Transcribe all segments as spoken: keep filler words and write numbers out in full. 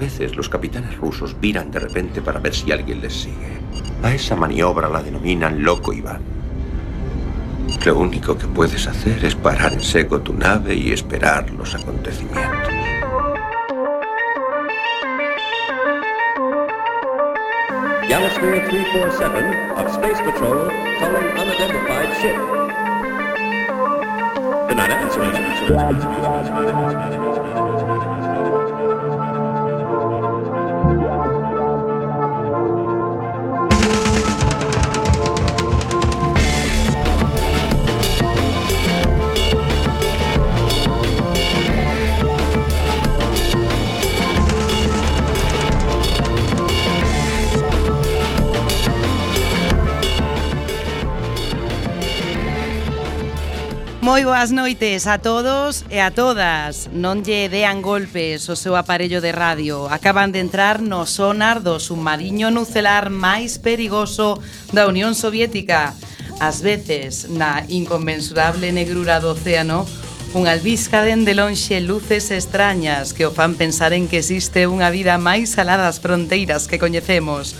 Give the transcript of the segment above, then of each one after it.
veces los capitanes rusos viran de repente para ver si alguien les sigue. A esa maniobra la denominan Loco Iván. Lo único que puedes hacer es parar en seco tu nave y esperar los acontecimientos. Galasphere three forty-seven of Space Patrol calling unidentified ship. Good night, Moi boas noites a todos e a todas. Non lle dean golpes o seu aparello de radio. Acaban de entrar no sonar do submarino nucelar máis perigoso da Unión Soviética. Ás veces, na inconmensurable negrura do océano, unha albisca dende lonxe luces extrañas que o fan pensar en que existe unha vida máis alá das fronteiras que coñecemos.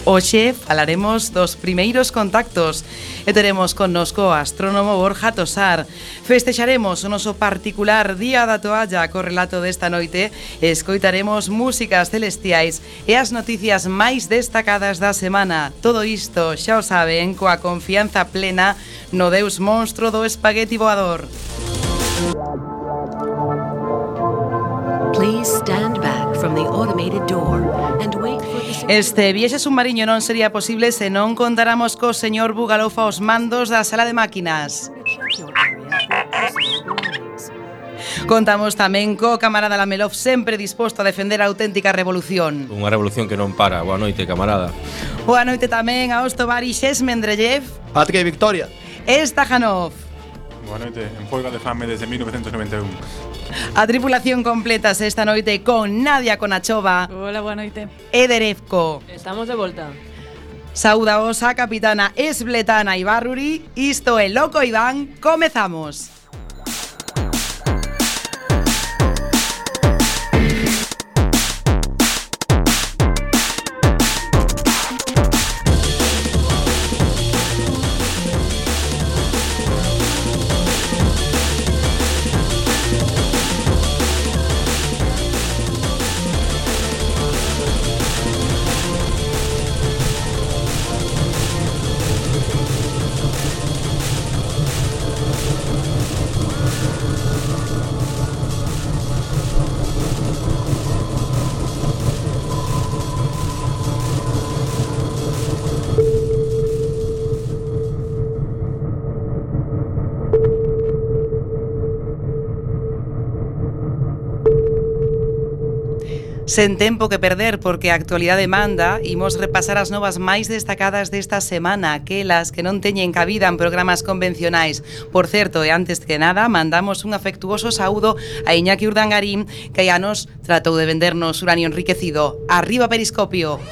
Hoxe falaremos dos primeiros contactos e teremos connosco o astrónomo Borja Tosar. Festexaremos o noso particular Día da Toalla co relato desta noite e escoitaremos músicas celestiais e as noticias máis destacadas da semana. Todo isto, xa o saben, coa confianza plena no deus monstro do espagueti voador. Please stand back from the automated door and wait for the... Este viaxe submarino non sería posible se non contáramos co señor Bugalofa aos mandos da sala de máquinas. Contamos tamén co camarada Lamelov, sempre disposto a defender a auténtica revolución. Unha revolución que non para. Boa noite, camarada. Boa noite tamén a Ostovari Shesmendreyev. Patria e Victoria. E Stajanov. Boa noite, en folga de fame desde mil novecientos noventa e un. A tripulación completa esta noite con Nadia Konachova. Hola, boa noite. E Derevko. Estamos de volta. Saudaos a capitana Esbletana Ibarruri. Isto é Loco Iván. Comezamos. Sen tempo que perder, porque a actualidade manda, imos repasar as novas máis destacadas desta semana, aquelas que non teñen cabida en programas convencionais. Por certo, e antes que nada, mandamos un afectuoso saúdo a Iñaki Urdangarín, que hai anos tratou de vendernos uranio enriquecido. Arriba Periscopio!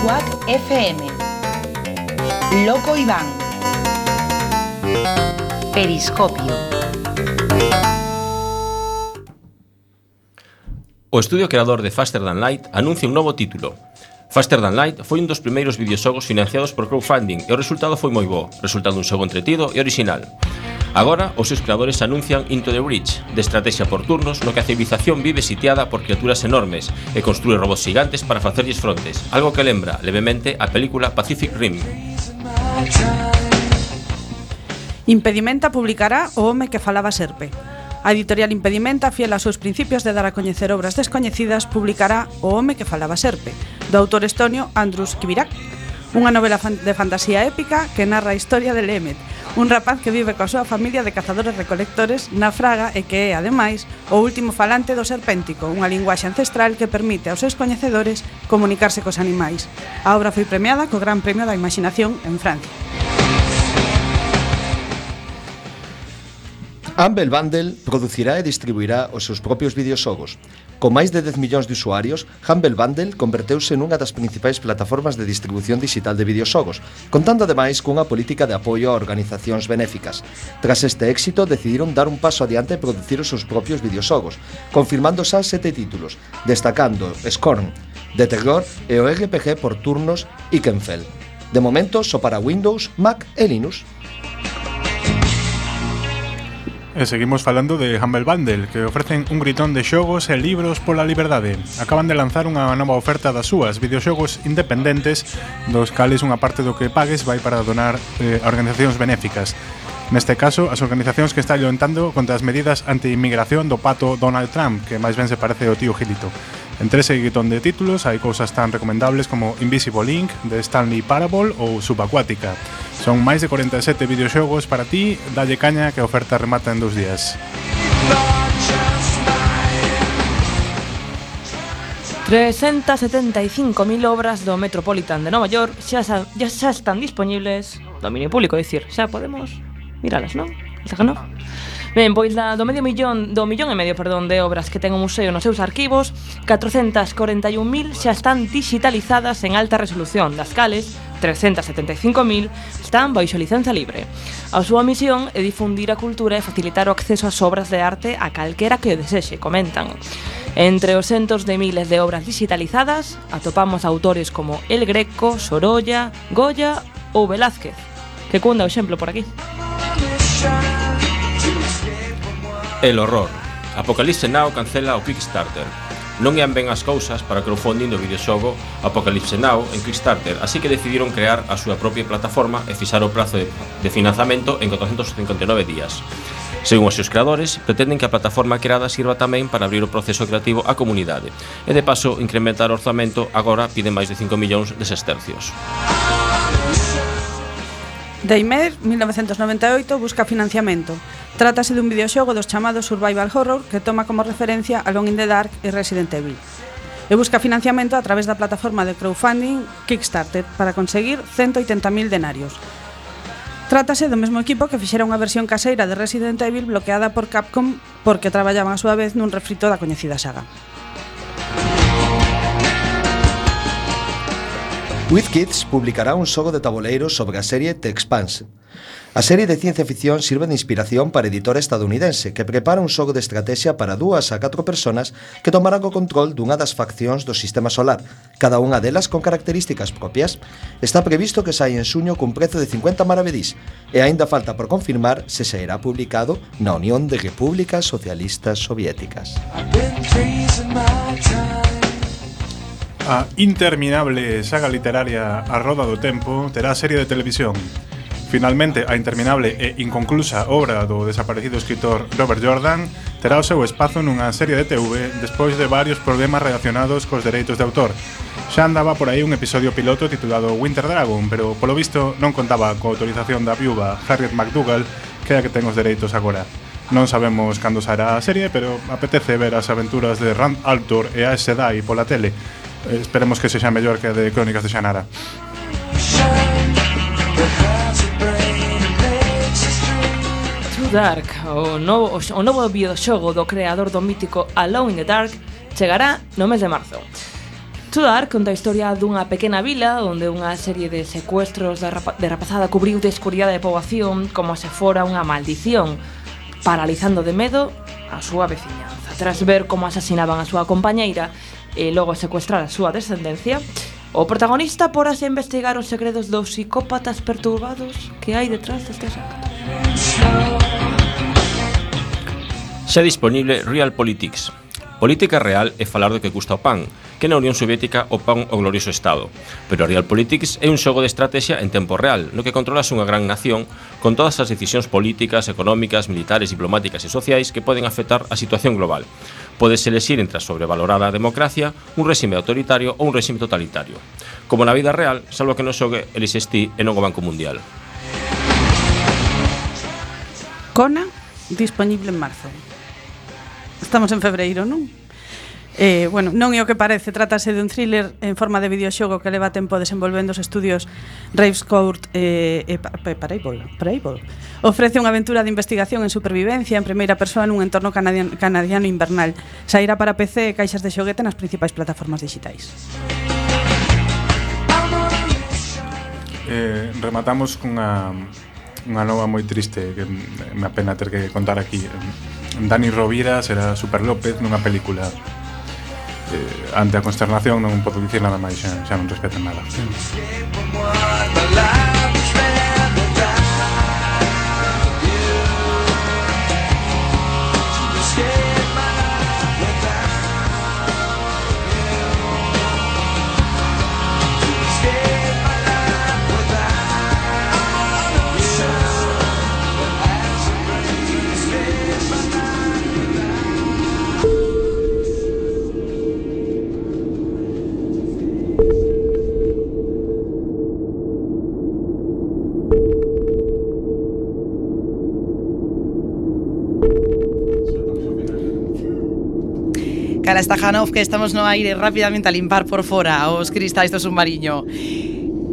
Quack F M. Loco Iván. Periscopio. O estudio creador de Faster Than Light anuncia un novo título. Faster Than Light foi un dos primeiros videoxogos financiados por crowdfunding e o resultado foi moi bo, resultando un xogo entretido e original. Agora, os seus creadores anuncian Into the Breach, de estrategia por turnos, no que a civilización vive sitiada por criaturas enormes e construe robots gigantes para facerlles frontes, algo que lembra levemente a película Pacific Rim. Impedimenta publicará O home que falaba serpe. A editorial Impedimenta, fiel aos seus principios de dar a coñecer obras descoñecidas, publicará O home que falaba serpe, do autor estonio Andrus Kivirak, unha novela de fantasía épica que narra a historia de Lemet, un rapaz que vive coa súa familia de cazadores-recolectores na Fraga e que é, ademais, o último falante do serpéntico, unha linguaxe ancestral que permite aos seus coñecedores comunicarse cos animais. A obra foi premiada co Gran Premio da Imaginación en Francia. Humble Bundle producirá e distribuirá os seus propios videoxogos. Con máis de dez millóns de usuarios, Humble Bundle converteuse nunha das principais plataformas de distribución digital de videoxogos, contando ademais cunha política de apoio a organizacións benéficas. Tras este éxito, decidiron dar un paso adiante e producir os seus propios videoxogos, confirmando xa sete títulos, destacando Scorn, de terror e o R P G por turnos Ikenfell. De momento, só para Windows, Mac e Linux. E seguimos falando de Humble Bundle, que ofrecen un gritón de xogos e libros pola liberdade. Acaban de lanzar unha nova oferta das súas videoxogos independentes, dos cales unha parte do que pagues vai para donar eh, a organizacións benéficas. Neste caso, as organizacións que están loentando contra as medidas anti-inmigración do pato Donald Trump, que máis ben se parece ao tío Gilito. Entre ese guitón de títulos hai cousas tan recomendables como Invisible Ink, de Stanley Parable ou Subacuática. Son máis de cuarenta e sete videoxogos para ti, dalle caña que a oferta remata en dous días. trescientas setenta e cinco mil obras do Metropolitan de Nova York xa, xa, xa están disponibles, dominio público, é dicir, xa podemos miralas, non? Esta que non? Ben, pois da, do medio millón, do millón e medio, perdón, de obras que ten o museo nos seus arquivos, catrocentas corenta e un mil xa están digitalizadas en alta resolución, das cales trescientas setenta e cinco mil están baixo licenza libre. A súa misión é difundir a cultura e facilitar o acceso ás obras de arte a calquera que o desexe, comentan. Entre os centos de miles de obras digitalizadas, atopamos autores como El Greco, Sorolla, Goya ou Velázquez, que cunda o exemplo por aquí. El horror. Apocalypse Now cancela o Kickstarter. Non ian ben as cousas para o crowdfunding do videoxogo Apocalypse Now en Kickstarter, así que decidiron crear a súa propia plataforma e fixar o prazo de, de financiamento en catorcentos cincuenta e nove días. Según os seus creadores, pretenden que a plataforma creada sirva tamén para abrir o proceso creativo á comunidade e de paso incrementar o orzamento. Agora piden máis de cinco millóns de sestercios. Daymare, mil novecentos noventa e oito, busca financiamento. Trátase dun videoxogo dos chamados Survival Horror que toma como referencia Alone in the Dark e Resident Evil. E busca financiamento a través da plataforma de crowdfunding Kickstarter para conseguir ciento oitenta mil denarios. Trátase do mesmo equipo que fixera unha versión caseira de Resident Evil bloqueada por Capcom porque traballaban a súa vez nun refrito da coñecida saga. WizKids publicará un xogo de tabuleiros sobre a serie The Expanse. A serie de ciencia ficción sirve de inspiración para a editora estadounidense que prepara un xogo de estrategia para dúas a catro personas que tomarán o control dunha das faccións do sistema solar, cada unha delas con características propias. Está previsto que saia en xuño cun prezo de cincuenta maravedís e aínda falta por confirmar se sairá publicado na Unión de Repúblicas Socialistas Soviéticas. A interminable saga literaria A Roda do Tempo terá serie de televisión. Finalmente, a interminable e inconclusa obra do desaparecido escritor Robert Jordan terá o seu espazo nunha serie de T V despois de varios problemas relacionados cos dereitos de autor. Xa andaba por aí un episodio piloto titulado Winter Dragon, pero polo visto non contaba coa autorización da viúva Harriet McDougall, que é a que ten os dereitos agora. Non sabemos cando sairá a serie, pero apetece ver as aventuras de Rand Altor e Aes Sedai pola tele. Esperemos que sexa mellor que a de Crónicas de Shannara. Dark, o novo, o novo videoxogo do creador do mítico Alone in the Dark, chegará no mes de marzo. Too Dark conta a historia dunha pequena vila onde unha serie de secuestros de, rapa, de rapazada cubriu de escuridade de poboación como se fora unha maldición, paralizando de medo a súa veciñanza. Tras ver como asasinaban a súa compañeira e logo secuestrar a súa descendencia, o protagonista porase a investigar os segredos dos psicópatas perturbados que hai detrás destes actos. Xa disponible Real Politics. Política real é falar do que custa o pan, que na Unión Soviética o pan o glorioso Estado. Pero Real Politics é un xogo de estrategia en tempo real, no que controlas unha gran nación con todas as decisións políticas, económicas, militares, diplomáticas e sociais que poden afectar a situación global. Podes elexir entre a sobrevalorada democracia, un réxime autoritario ou un réxime totalitario. Como na vida real, salvo que non xogue elixes ti e non o Banco Mundial. Kona, disponible en marzo. Estamos en febreiro, non? Eh, bueno, non é o que parece, trátase de un thriller en forma de videoxogo que leva tempo desenvolvendo os estudios Ravescourt e eh, eh, Parable, Parable. Ofrece unha aventura de investigación en supervivencia en primeira persoa nun entorno canadiano, canadiano invernal. Sairá para P C e caixas de xoguete nas principais plataformas digitais. Eh, rematamos cunha unha nova moi triste que me apena ter que contar aquí. Dani Rovira será Super López nunha película. Eh, ante a consternación non podo dicir nada máis, xa, xa non respetan nada. Cara Stajanov, que estamos no aire rapidamente a limpar por fora os cristais do submarino.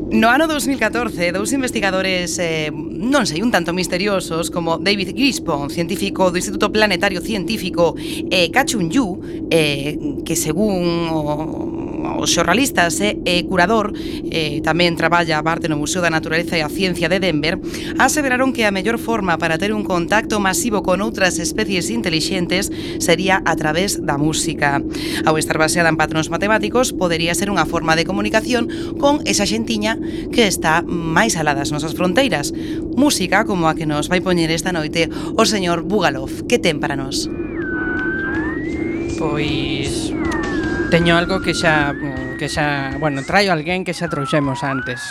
No ano dos mil catorce, dous investigadores, eh, non sei, un tanto misteriosos, como David Grispon, científico do Instituto Planetario Científico, e Ka-Chun Yu, eh, que según o, os xornalistas é eh, curador, eh, tamén traballa a parte no Museo da Naturaleza e a Ciencia de Denver, aseveraron que a mellor forma para ter un contacto masivo con outras especies intelixentes sería a través da música. Ao estar baseada en patróns matemáticos, podería ser unha forma de comunicación con esa xentiña que está máis alá das nosas fronteiras. Música como a que nos vai poñer esta noite o señor Bugalov. Que ten para nós? Pois teño algo que xa que xa, bueno, traio alguén que xa trouxemos antes.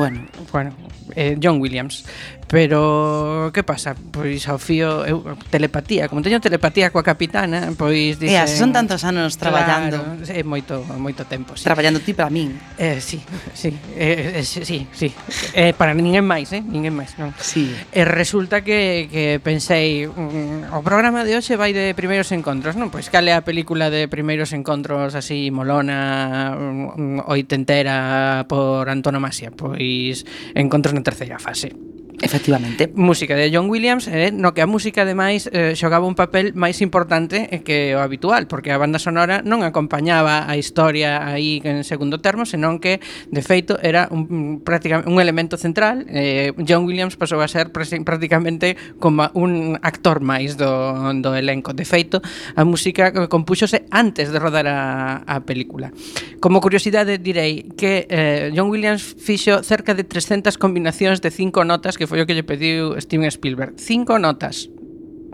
Bueno, bueno, eh, John Williams. Pero que pasa? Pois ao fío eu, telepatía, como teño telepatía coa capitana, pois dixen, e así son tantos anos traballando. Claro, é moito moito tempo, sí. Traballando ti para min. Eh, sí, sí, eh, eh, sí, sí. Eh, para ninguén máis, eh, ninguén máis, non. Sí. E resulta que que pensei, mm, o programa de hoxe vai de primeiros encontros, non? Pois cal é a película de primeiros encontros así molona, mm, oitentera por antonomasia? Pois Encontros na terceira fase. Efectivamente. Música de John Williams, eh, no que a música ademais eh, xogaba un papel máis importante que o habitual, porque a banda sonora non acompañaba a historia aí en segundo termo, senón que de feito era un, prácticamente un elemento central. eh, John Williams pasou a ser prácticamente como un actor máis do, do elenco. De feito, a música compúxose antes de rodar a, a película. Como curiosidade direi que eh, John Williams fixo cerca de trescentas combinacións de cinco notas, que foi o que lle pediu Steven Spielberg. Cinco notas.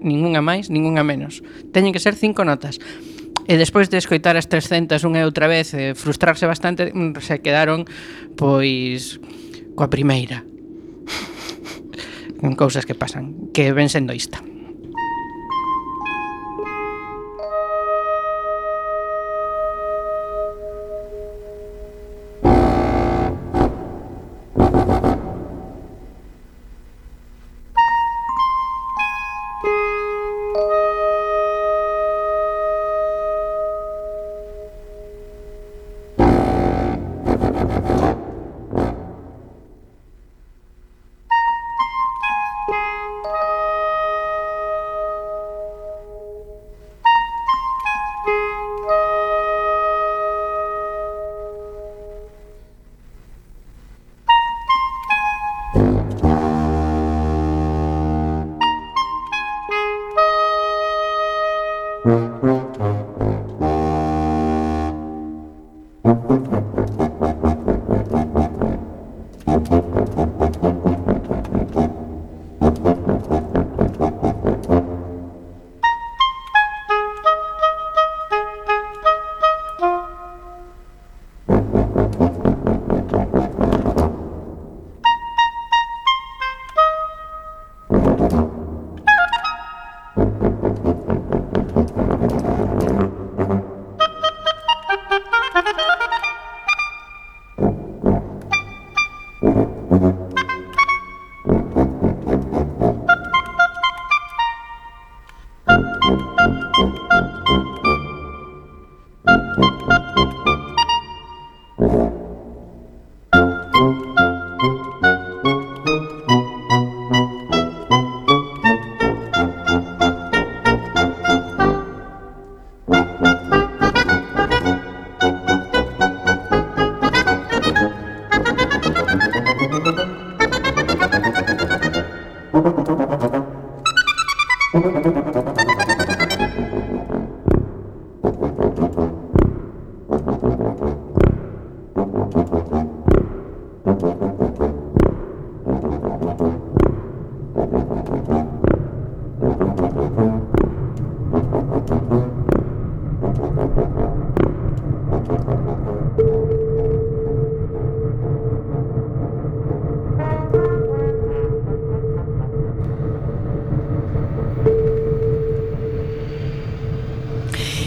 Ningunha máis, ningunha menos. Teñen que ser cinco notas. E despois de escoitar as trescentas unha e outra vez, e frustrarse bastante, se quedaron, pois, coa primeira. Con cousas que pasan, que ven sendo ista.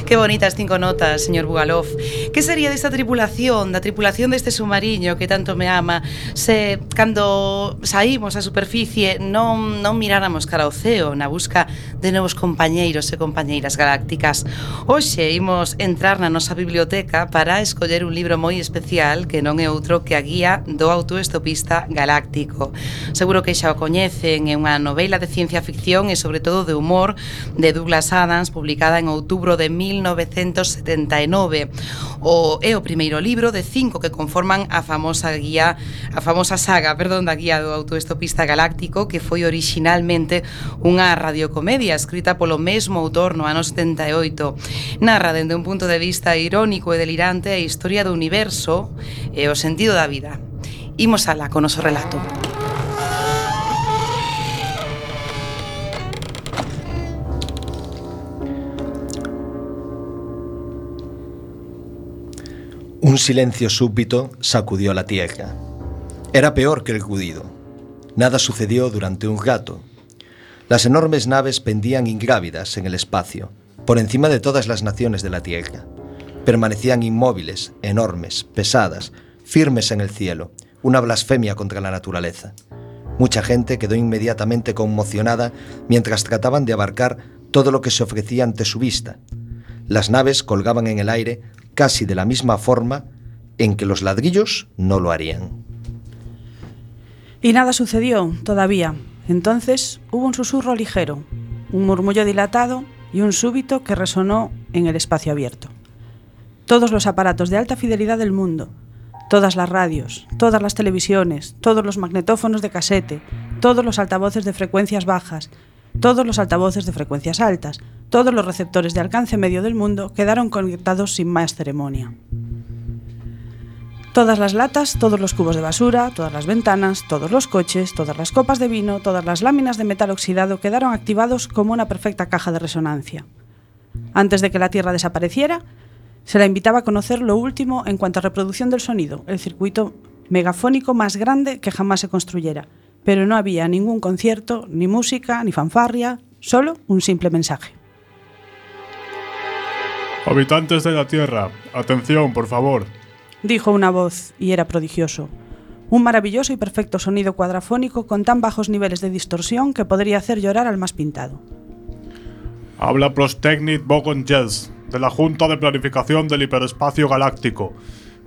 Que bonitas cinco notas, señor Bugalov. Que sería desta tripulación, da tripulación deste submarino que tanto me ama, se cando saímos á superficie non, non miráramos cara ao ceo na busca de novos compañeiros e compañeiras galácticas? Hoxe imos entrar na nosa biblioteca para escoller un libro moi especial que non é outro que a guía do autoestopista galáctico. Seguro que xa o coñecen, é unha novela de ciencia ficción e sobre todo de humor de Douglas Adams, publicada en outubro de mil novecentos setenta e nove. O é o primeiro libro de cinco que conforman a famosa guía, a famosa saga, perdón, da guía do autoestopista galáctico, que foi originalmente unha radiocomedia escrita polo mesmo autor no ano setenta e oito. Narra dende un punto de vista irónico e delirante a historia do universo e o sentido da vida. Imos alá con o noso relato. Un silencio súbito sacudió la tierra. Era peor que el ruido. Nada sucedió durante un rato. Las enormes naves pendían ingrávidas en el espacio, por encima de todas las naciones de la tierra. Permanecían inmóviles, enormes, pesadas, firmes en el cielo, una blasfemia contra la naturaleza. Mucha gente quedó inmediatamente conmocionada mientras trataban de abarcar todo lo que se ofrecía ante su vista. Las naves colgaban en el aire casi de la misma forma en que los ladrillos no lo harían. Y nada sucedió, todavía. Entonces hubo un susurro ligero, un murmullo dilatado y un súbito que resonó en el espacio abierto. Todos los aparatos de alta fidelidad del mundo, todas las radios, todas las televisiones, todos los magnetófonos de casete, todos los altavoces de frecuencias bajas, todos los altavoces de frecuencias altas, todos los receptores de alcance medio del mundo quedaron conectados sin más ceremonia. Todas las latas, todos los cubos de basura, todas las ventanas, todos los coches, todas las copas de vino, todas las láminas de metal oxidado quedaron activados como una perfecta caja de resonancia. Antes de que la Tierra desapareciera, se la invitaba a conocer lo último en cuanto a reproducción del sonido, el circuito megafónico más grande que jamás se construyera. Pero no había ningún concierto, ni música, ni fanfarria, solo un simple mensaje. Habitantes de la Tierra, atención, por favor. Dijo una voz, y era prodigioso. Un maravilloso y perfecto sonido cuadrafónico con tan bajos niveles de distorsión que podría hacer llorar al más pintado. Habla Prostegnit Bogon Jels, de la Junta de Planificación del Hiperespacio Galáctico.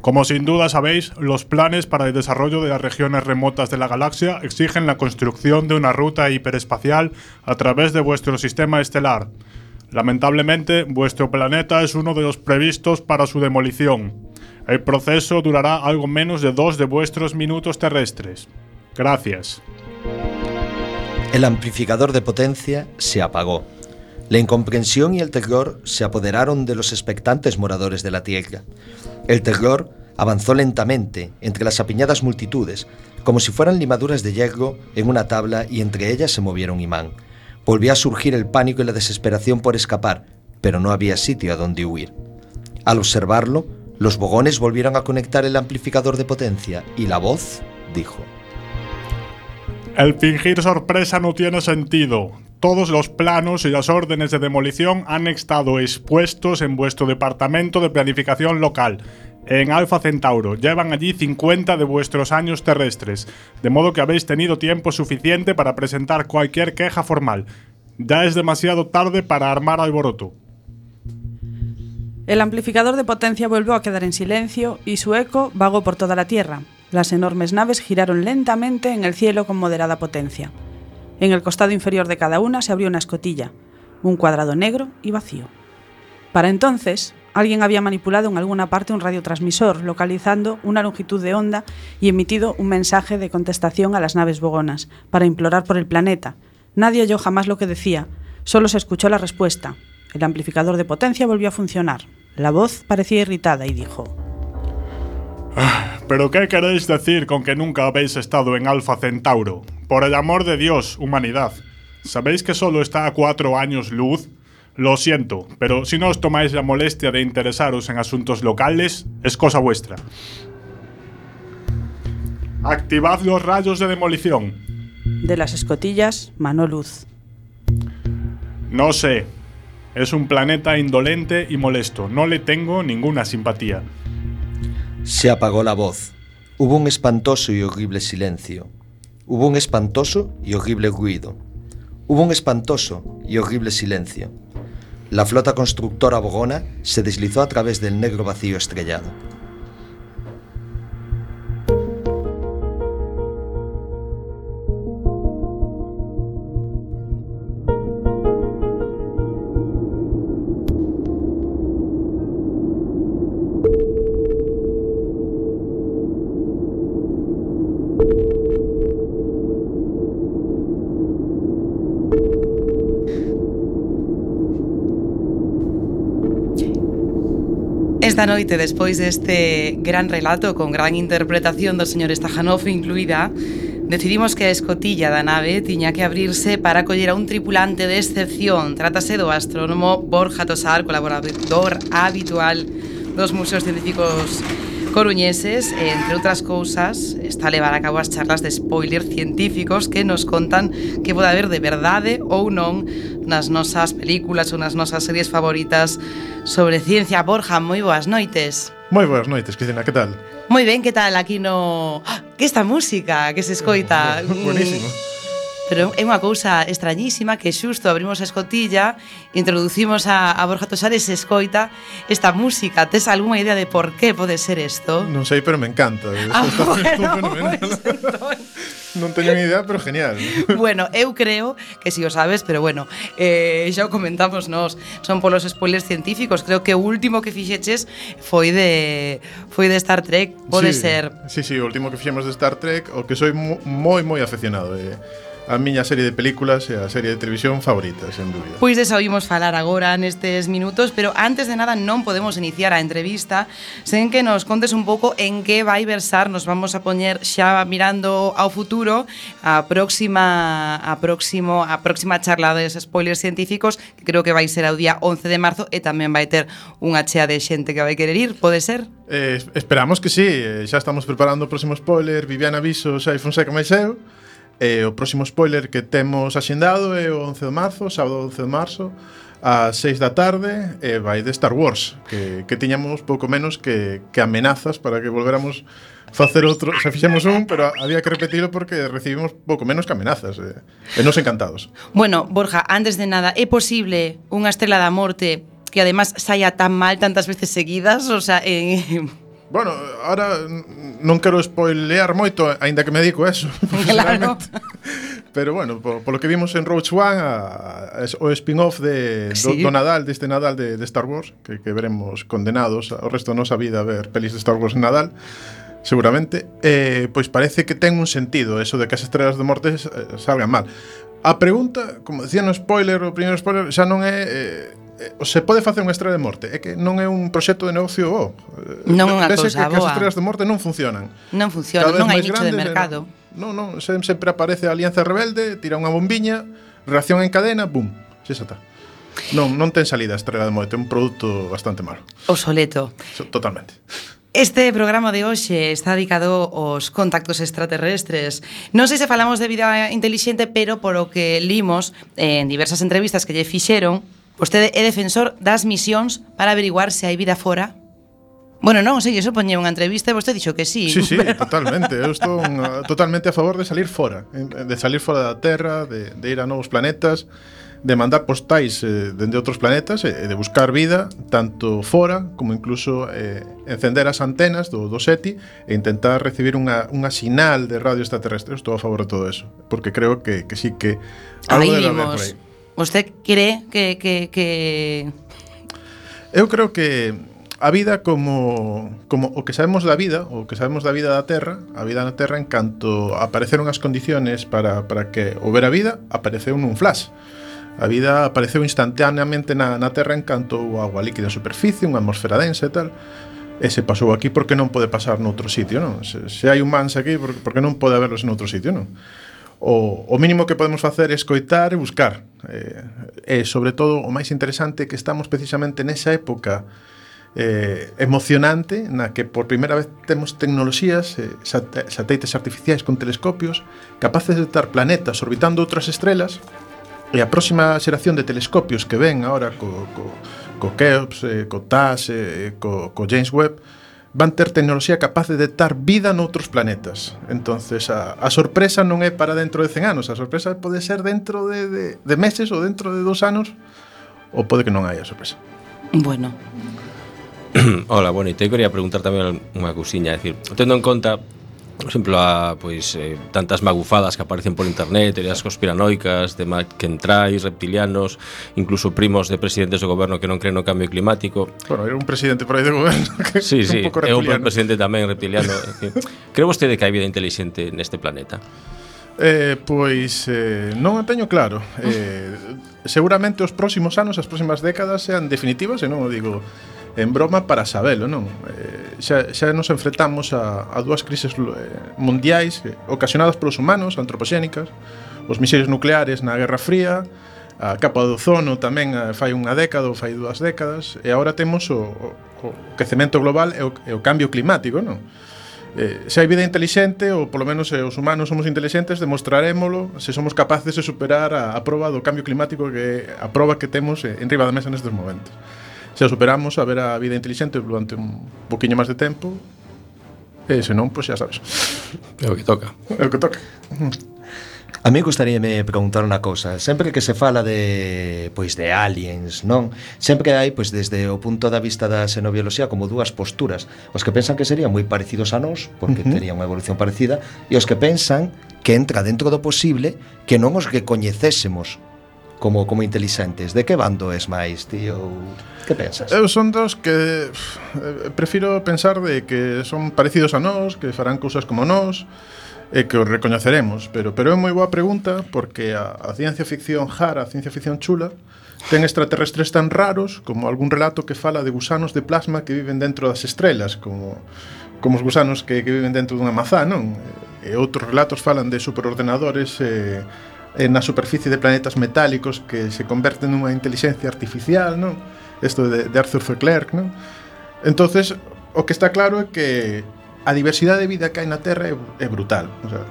Como sin duda sabéis, los planes para el desarrollo de las regiones remotas de la galaxia exigen la construcción de una ruta hiperespacial a través de vuestro sistema estelar. Lamentablemente, vuestro planeta es uno de los previstos para su demolición. El proceso durará algo menos de dos de vuestros minutos terrestres. Gracias. El amplificador de potencia se apagó. La incomprensión y el terror se apoderaron de los expectantes moradores de la Tierra. El terror avanzó lentamente entre las apiñadas multitudes, como si fueran limaduras de hierro en una tabla y entre ellas se moviera un imán. Volvió a surgir el pánico y la desesperación por escapar, pero no había sitio a donde huir. Al observarlo, los bogones volvieron a conectar el amplificador de potencia y la voz dijo: El fingir sorpresa no tiene sentido. Todos los planos y las órdenes de demolición han estado expuestos en vuestro departamento de planificación local, en Alfa Centauro. Llevan allí cincuenta de vuestros años terrestres, de modo que habéis tenido tiempo suficiente para presentar cualquier queja formal. Ya es demasiado tarde para armar alboroto. El amplificador de potencia volvió a quedar en silencio y su eco vagó por toda la Tierra. Las enormes naves giraron lentamente en el cielo con moderada potencia. En el costado inferior de cada una se abrió una escotilla, un cuadrado negro y vacío. Para entonces, Alguien había manipulado en alguna parte un radiotransmisor, localizando una longitud de onda y emitido un mensaje de contestación a las naves bogonas, para implorar por el planeta. Nadie oyó jamás lo que decía, solo se escuchó la respuesta. El amplificador de potencia volvió a funcionar. La voz parecía irritada y dijo: ah, ¿pero qué queréis decir con que nunca habéis estado en Alfa Centauro? Por el amor de Dios, humanidad. ¿Sabéis que solo está a cuatro años luz? Lo siento, pero si no os tomáis la molestia de interesaros en asuntos locales, es cosa vuestra. Activad los rayos de demolición. De las escotillas manó luz. No sé. Es un planeta indolente y molesto. No le tengo ninguna simpatía. Se apagó la voz. Hubo un espantoso y horrible silencio. Hubo un espantoso y horrible ruido. Hubo un espantoso y horrible silencio. La flota constructora bogona se deslizó a través del negro vacío estrellado. Esta noite, despois deste gran relato con gran interpretación do señor Stajanov incluída, decidimos que a escotilla da nave tiña que abrirse para acoller a un tripulante de excepción. Trátase do astrónomo Borja Tosar, colaborador habitual dos museos científicos coruñeses, e, entre outras cousas, está a levar a cabo as charlas de spoiler científicos que nos contan que pode haber de verdade ou non nas nosas películas ou nas nosas series favoritas sobre ciencia. Borja, moi boas noites. Moi boas noites, Cristina, que tal? Moi ben, que tal aquí no... Que esta música que se escoita... Buenísimo. Pero é unha cousa extrañísima que xusto abrimos a escotilla, introducimos a, a Borja Tosar e se escoita esta música. Tes algunha idea de por qué pode ser isto? Non sei, pero me encanta. Ah, está, bueno, pues, non teño ni idea, pero genial. Bueno, eu creo que si o sabes, pero bueno, eh, xa o comentamos nos, son polos spoilers científicos. Creo que o último que fixeches foi de foi de Star Trek, pode sí, ser. Sí, sí, o último que fixemos de Star Trek, o que soy moi moi aficionado. Eh. A miña serie de películas e a serie de televisión favorita, sen dúbida. Pois desa oímos falar agora nestes minutos, pero antes de nada non podemos iniciar a entrevista sen que nos contes un pouco en que vai versar. Nos vamos a poñer xa mirando ao futuro a próxima a próximo a próxima charla de spoilers científicos, que creo que vai ser o día once de marzo, e tamén vai ter unha chea de xente que vai querer ir, pode ser? Eh, esperamos que sí, xa estamos preparando o próximo spoiler. Viviana Viso, Xai Fonseca máis eu. E o próximo spoiler que temos axendado é o once de marzo, sábado once de marzo, ás seis da tarde, e vai de Star Wars, que, que tiñamos pouco menos que, que amenazas para que volveramos facer outro. Xa fixemos un, pero había que repetilo porque recibimos pouco menos que amenazas, e, e nos encantados. Bueno, Borja, antes de nada, é posible unha estrela da morte que además saia tan mal tantas veces seguidas? O sea, eh... Bueno, ahora non quero spoilear moito, aínda que me dedico a eso. Claro. Pero bueno, por, por lo que vimos en Rogue One, a, a, o spin-off de, sí. do, do Nadal, deste Nadal de, de Star Wars, que, que veremos condenados ao resto da nosa vida a ver pelis de Star Wars en Nadal, seguramente, eh, pois parece que ten un sentido eso de que as estrelas de morte eh, salgan mal. A pregunta, como decía no spoiler, o primeiro spoiler, xa non é... Eh, se pode facer unha estrela de morte, é que non é un proxecto de negocio bo. Non é unha cousa que, que as boa. estrelas de morte non funcionan. Non funcionan, non hai nicho de mercado. Non, non, sempre aparece a Alianza Rebelde, tira unha bombiña, reacción en cadena, bum, xa está. Non, non ten salida a estrela de morte, é un produto bastante malo. Obsoleto. Totalmente. Este programa de hoxe está dedicado aos contactos extraterrestres. Non sei se falamos de vida intelixente, pero por o que limos en diversas entrevistas que lle fixeron, vostede é defensor das misións para averiguar se hai vida fora? Bueno, non, sei, eso poñía unha entrevista e vostede dixo que sí. Sí, sí, pero... totalmente. Eu estou uh, totalmente a favor de salir fora, de salir fora da Terra, de, de ir a novos planetas, de mandar postais eh, dende outros planetas e eh, de buscar vida tanto fora como incluso eh, encender as antenas do, do SETI e intentar recibir unha, unha sinal de radio extraterrestre. Estou a favor de todo eso, porque creo que, que sí que algo debe haber por aí. ¿Usted cree que, que, que... Eu creo que a vida como, como o que sabemos da vida, o que sabemos da vida da Terra, a vida na Terra, en canto apareceron as condiciones para, para que houbera vida, apareceu nun flash. A vida apareceu instantaneamente na, na Terra en canto o agua líquida en superficie, unha atmosfera densa e tal. E se pasou aquí porque non pode pasar noutro sitio, non? Se, se hai humanos aquí, porque non pode haberlos noutro sitio, non? O, o mínimo que podemos facer é escoitar e buscar. E, e sobre todo, o máis interesante é que estamos precisamente nesa época eh, emocionante na que por primeira vez temos tecnoloxías, eh, satélites artificiais con telescopios capaces de detectar planetas orbitando outras estrelas, e a próxima xeración de telescopios que ven agora co, co, co Keops, eh, co T A S, eh, co, co James Webb, van ter tecnoloxía capaz de detectar vida noutros planetas. Entonces a, a sorpresa non é para dentro de cen anos, a sorpresa pode ser dentro de, de, de meses ou dentro de dos anos, ou pode que non haya sorpresa. Bueno. Hola, bueno, e te quería preguntar tamén unha cousiña, é dicir, tendo en conta, por exemplo, a, pois, eh, tantas magufadas que aparecen por internet, teorías conspiranoicas de McKentrais, reptilianos, incluso primos de presidentes do goberno que non creen no cambio climático. Bueno, era un presidente por aí de goberno que sí, sí, un pouco é un reptiliano. presidente tamén reptiliano. Cree vostede que hai vida inteligente neste planeta? Eh, pois eh, non o teño claro. eh, Seguramente os próximos anos, as próximas décadas sean definitivas, e non o digo en broma para sabelo, non? Eh, xa, xa nos enfrentamos a, a dúas crises eh, mundiais eh, ocasionadas polos humanos, antropoxénicas, os misiles nucleares na Guerra Fría, a capa do ozono tamén eh, fai unha década ou fai dúas décadas, e agora temos o, o, o quecemento global e o, e o cambio climático, non? Eh, se hai vida inteligente, ou polo menos se os humanos somos inteligentes, demostrarémolo se somos capaces de superar a, a proba do cambio climático, que a proba que temos en riba da mesa nestes momentos. Se a superamos, a ver a vida inteligente durante un poquinho máis de tempo, e se non, pois xa sabes. É o que toca. É o que toca. A mí gustaríame preguntar unha cousa. Sempre que se fala de pois de aliens, non? Sempre hai, pois desde o punto da vista da xenobioloxía, como dúas posturas. Os que pensan que serían moi parecidos a nós, porque uh-huh. terían unha evolución parecida, e os que pensan que entra dentro do posible que non os recoñecésemos como como inteligentes. De que bando es máis, tío? Que pensas? Eu son dos que eh, prefiro pensar de que son parecidos a nós, que farán cousas como nós, e que os recoñeceremos, pero pero é moi boa pregunta, porque a, a ciencia ficción rara, a ciencia ficción chula, ten extraterrestres tan raros como algún relato que fala de gusanos de plasma que viven dentro das estrelas, como como os gusanos que, que viven dentro dunha mazá, non? E outros relatos falan de superordenadores eh, na superficie de planetas metálicos que se converten nunha inteligencia artificial, non? Isto de, de Arthur C. Clarke, non? Entonces, o que está claro é que a diversidade de vida que hai na Terra é, é brutal. O sea,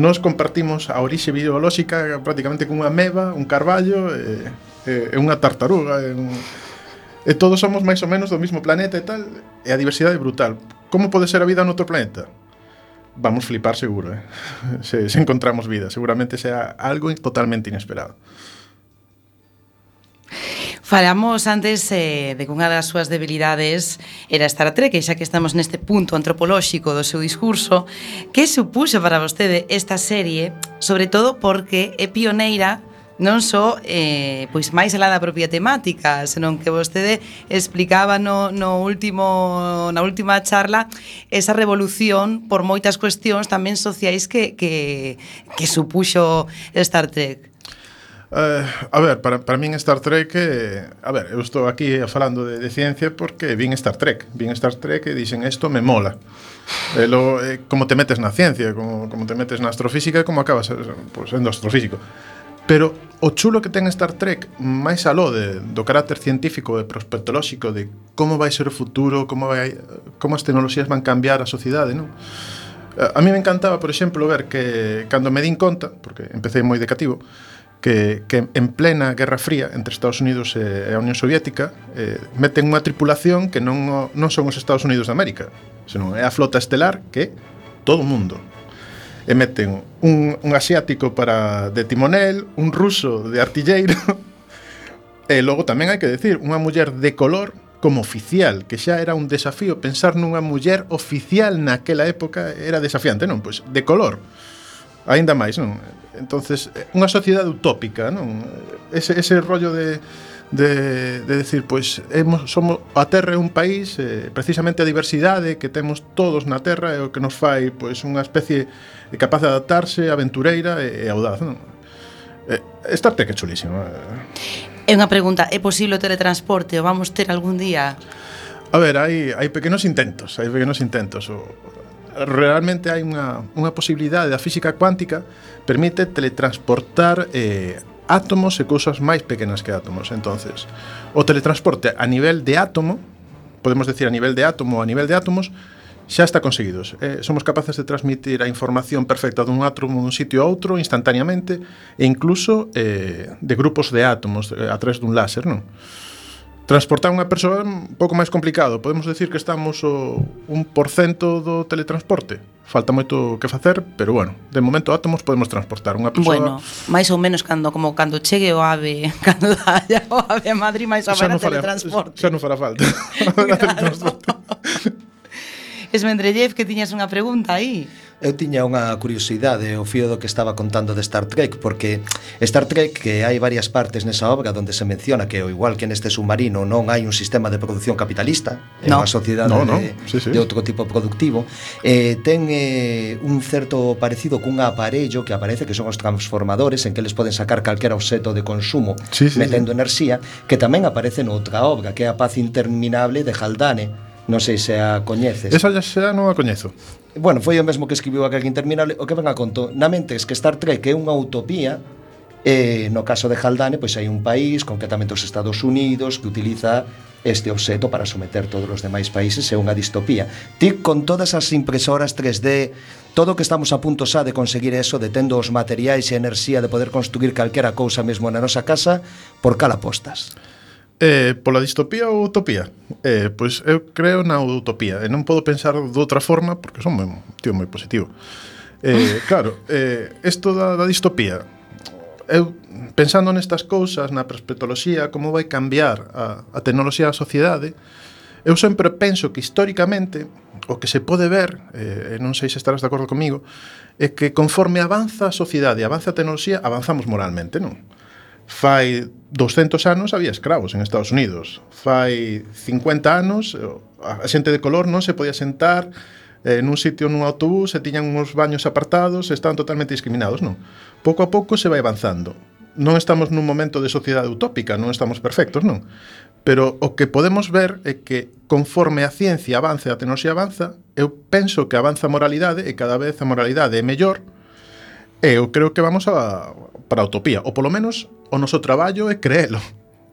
nós compartimos a orixe biolóxica prácticamente con unha ameba, un carballo e, e, e unha tartaruga, e, un, e todos somos máis ou menos do mesmo planeta e tal, e a diversidade é brutal. Como pode ser a vida noutro planeta? Vamos flipar seguro, eh? se, se encontramos vida. Seguramente sea algo totalmente inesperado. Falamos antes eh, de que unha das súas debilidades era Star Trek, e xa que estamos neste punto antropolóxico do seu discurso, que supuxo para vostede esta serie, sobre todo porque é pioneira non só eh, pois máis alá da propia temática, senón que vostede explicaba no, no último, na última charla esa revolución por moitas cuestións tamén sociais que, que, que supuxo Star Trek. Uh, a ver, para, para min Star Trek eh, a ver, eu estou aquí falando de, de ciencia porque vin Star Trek vin Star Trek e dixen, isto me mola e lo, eh, como te metes na ciencia como, como te metes na astrofísica, como acabas pues, sendo astrofísico. Pero o chulo que ten Star Trek, máis aló de, do carácter científico e prospectolóxico de como vai ser o futuro, como, vai, como as tecnoloxías van cambiar a sociedade, non? A mí me encantaba, por exemplo, ver que cando me din conta, porque empecé moi de cativo, que, que en plena Guerra Fría entre Estados Unidos e a Unión Soviética eh, meten unha tripulación que non, non son os Estados Unidos de América, senón é a flota estelar, que é todo o mundo. E meten un, un asiático para de timonel, un ruso de artilleiro, e logo tamén hai que decir, unha muller de color como oficial, que xa era un desafío. Pensar nunha muller oficial naquela época era desafiante, non? Pois de color, aínda máis, non? Entonces, unha sociedade utópica, non? Ese, ese rollo de, de, de decir, pois hemos, somos, a Terra é un país, eh, precisamente a diversidade que temos todos na Terra é o que nos fai pois unha especie capaz de adaptarse, aventureira e, e audaz, non? Eh, Star Trek é chulísimo. É unha pregunta, é posible o teletransporte? O vamos ter algún día? A ver, hai, hai pequenos intentos, hai pequenos intentos. O, realmente hai unha, unha posibilidade da física cuántica, permite teletransportar eh, átomos e cousas máis pequenas que átomos. Entonces, o teletransporte a nivel de átomo, podemos decir a nivel de átomo ou a nivel de átomos, xa está conseguido. Eh, somos capaces de transmitir a información perfecta dun átomo dun sitio a outro instantaneamente e incluso eh, de grupos de átomos eh, a través dun láser, non? Transportar unha persoa é un pouco máis complicado. Podemos decir que estamos o un por cento do teletransporte. Falta moito que facer, pero bueno, de momento átomos podemos transportar unha persoa. Bueno, máis ou menos cando como cando chegue o ave, cando haya o ave a Madrid, máis ou menos teletransporte. Xa non fará falta. Teletransporte. Esmendrellev, que tiñas unha pregunta aí. Eu tiña unha curiosidade ao fío do que estaba contando de Star Trek, porque Star Trek, que hai varias partes nesa obra donde se menciona que, ao igual que neste submarino, non hai un sistema de produción capitalista, é no. unha sociedade no, no. de, sí, sí. de outro tipo productivo, eh, ten eh, un certo parecido cun aparello que aparece que son os transformadores, en que eles poden sacar calquera obxeto de consumo sí, sí, metendo sí. enerxía, que tamén aparece noutra obra, que é A Paz Interminable de Haldane. Non sei se a coñeces. Esa xa non a coñezo. Bueno, foi o mesmo que escribiu A Guerra Interminable. O que ven a conto, na mente é que Star Trek é unha utopía. E no caso de Haldane, pois hai un país, concretamente os Estados Unidos, que utiliza este obxeto para someter todos os demais países. É unha distopía. Ti, con todas as impresoras tres D, todo o que estamos a punto xa de conseguir eso, de tendo os materiais e a enerxía de poder construir calquera cousa mesmo na nosa casa, por cal apostas? Eh, pola distopía ou utopía? Eh, pois eu creo na utopía e non podo pensar de outra forma porque son moi, tío moi positivo. Eh, claro, eh, isto da, da distopía, eu pensando nestas cousas, na perspectoloxía, como vai cambiar a, a tecnoloxía da sociedade, eu sempre penso que históricamente o que se pode ver, eh, non sei se estarás de acordo comigo, é que conforme avanza a sociedade, avanza a tecnoloxía, avanzamos moralmente, non? Fai doscentos anos había escravos en Estados Unidos. Fai cincuenta anos a xente de color non se podía sentar eh, nun sitio nun autobús, e tiñan uns baños apartados, e estaban totalmente discriminados, non? Pouco a pouco se vai avanzando. Non estamos nun momento de sociedade utópica, non estamos perfectos, non? Pero o que podemos ver é que conforme a ciencia avanza e a tecnoloxía avanza, eu penso que avanza a moralidade e cada vez a moralidade é mellor. E eu creo que vamos a, para a utopía, ou polo menos o noso traballo é creelo,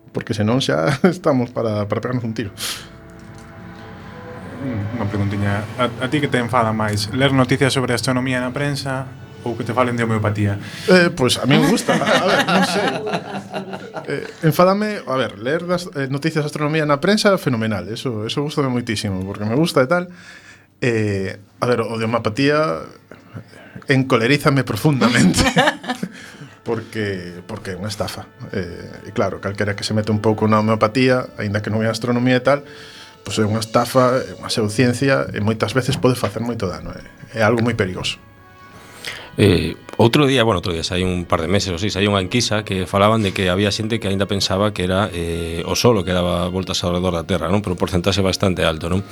porque senón xa estamos para, para pegarnos un tiro. Unha preguntiña, a, a ti que te enfada máis, ler noticias sobre astronomía na prensa ou que te falen de homeopatía? Eh, pois pues a mí me gusta, a ver, non sei. Eh, enfádame, a ver, ler das eh, noticias de astronomía na prensa fenomenal, eso, eso gustame moitísimo, porque me gusta e tal. Eh, a ver, o de homeopatía encolerízame profundamente. Porque, porque é unha estafa. Eh, e claro, calquera que se mete un pouco na homeopatía, aínda que non é astronomía e tal, pois é unha estafa, é unha pseudociencia e moitas veces pode facer moito dano. É, é algo moi perigoso. Eh, outro día, bueno, outro día, hai un par de meses ou seis, hai unha enquisa que falaban de que había xente que aínda pensaba que era eh, o Sol que daba voltas ao redor da Terra, non? Pero un porcentaxe bastante alto, non?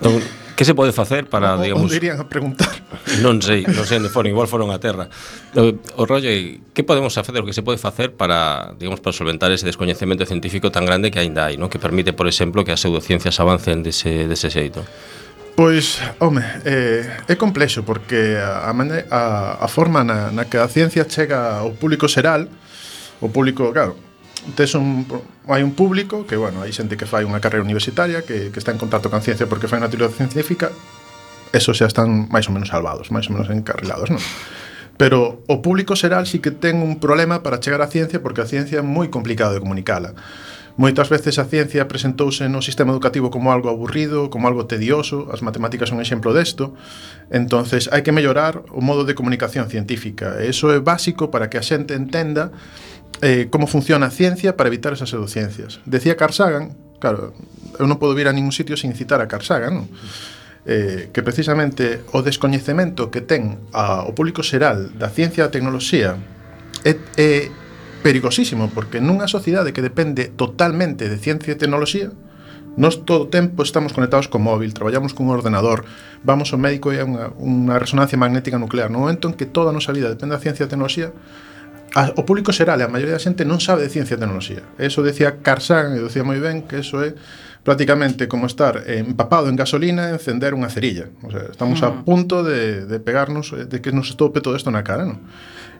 Entón, que se pode facer para, o, digamos... Onde irían a preguntar? Non sei, non sei onde foron, igual foron a Terra. O, o rollo é, que podemos facer, o que se pode facer para, digamos, para solventar ese descoñecemento científico tan grande que aínda hai, non? Que permite, por exemplo, que as pseudociencias avancen dese, dese xeito. Pois, home, eh, é complexo porque a, a, a forma na, na que a ciencia chega ao público xeral, o público, claro, tes un, hai un público que, bueno, hai xente que fai unha carreira universitaria que, que está en contacto con ciencia porque fai unha teoría científica, esos xa están máis ou menos salvados, máis ou menos encarrilados, non? Pero o público xeral sí que ten un problema para chegar á ciencia porque a ciencia é moi complicado de comunicala. Moitas veces a ciencia presentouse no sistema educativo como algo aburrido, como algo tedioso, as matemáticas son un exemplo desto, entonces hai que mellorar o modo de comunicación científica, e iso é básico para que a xente entenda eh, como funciona a ciencia para evitar esas pseudociencias. Decía Carl Sagan, claro, eu non podo vir a ningún sitio sin citar a Carl Sagan, non? Eh, que precisamente o descoñecemento que ten a, o público xeral da ciencia e da tecnoloxía é, é perigosísimo, porque nunha sociedade que depende totalmente de ciencia e tecnoloxía, nós todo o tempo estamos conectados co móvil, traballamos cun ordenador, vamos ao médico e hai unha, unha resonancia magnética nuclear. No momento en que toda a nosa vida depende da ciencia e tecnoloxía, a, o público xeral e a maioría da xente non sabe de ciencia e tecnoloxía. Eso decía Carl Sagan, e decía moi ben que eso é prácticamente como estar empapado en gasolina e encender unha cerilla. O sea, estamos a punto de, de pegarnos, de que nos estope todo isto na cara, non?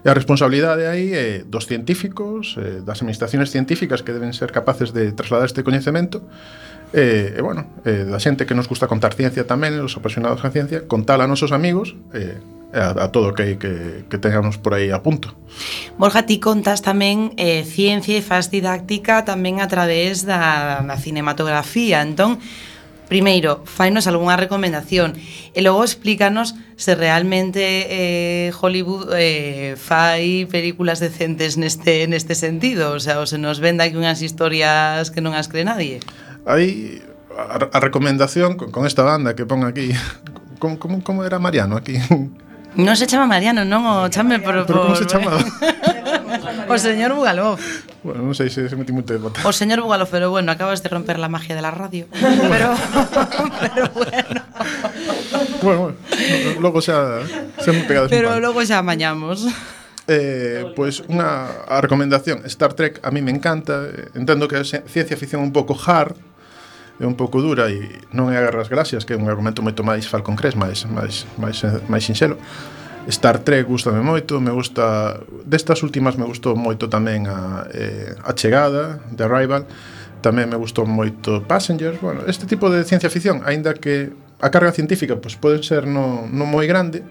E a responsabilidade aí é dos científicos, eh, das administraciones científicas que deben ser capaces de trasladar este coñecemento, e, e bueno, eh, da xente que nos gusta contar ciencia tamén, os apasionados á ciencia, contar a nosos amigos, e eh, a, a todo o que, que, que tengamos por aí a punto. Borja, ti contas tamén eh, ciencia e faz didáctica tamén a través da, da cinematografía. Entón, primeiro, fainos algunha recomendación e logo explícanos se realmente eh, Hollywood eh, fai películas decentes neste, neste sentido, o sea, ou se nos venda aquí unhas historias que non as cree nadie. Aí, a, a recomendación con, con esta banda que pon aquí, como, como, como era Mariano aquí? Non se chama Mariano, non o chame por... Pero como se chamaba? O señor Bugalov. Bueno, non sei se se metí moito de bota. O señor Bugalov, pero bueno, acabas de romper la magia de la radio. Pero, pero bueno. Bueno, bueno, logo xa se me pegades. Pero logo xa amañamos. Eh, pois pues unha a recomendación, Star Trek a mí me encanta, entendo que é ciencia ficción un pouco hard, é un pouco dura e non é a Guerras Galaxias, que é un argumento moito máis Falcon Crest, máis máis máis máis sinxelo. Star Trek gustame moito, me gusta destas últimas me gustou moito tamén a eh, a Chegada, The Arrival, tamén me gustou moito Passengers. Bueno, este tipo de ciencia ficción, aínda que a carga científica pois pode ser no non moi grande,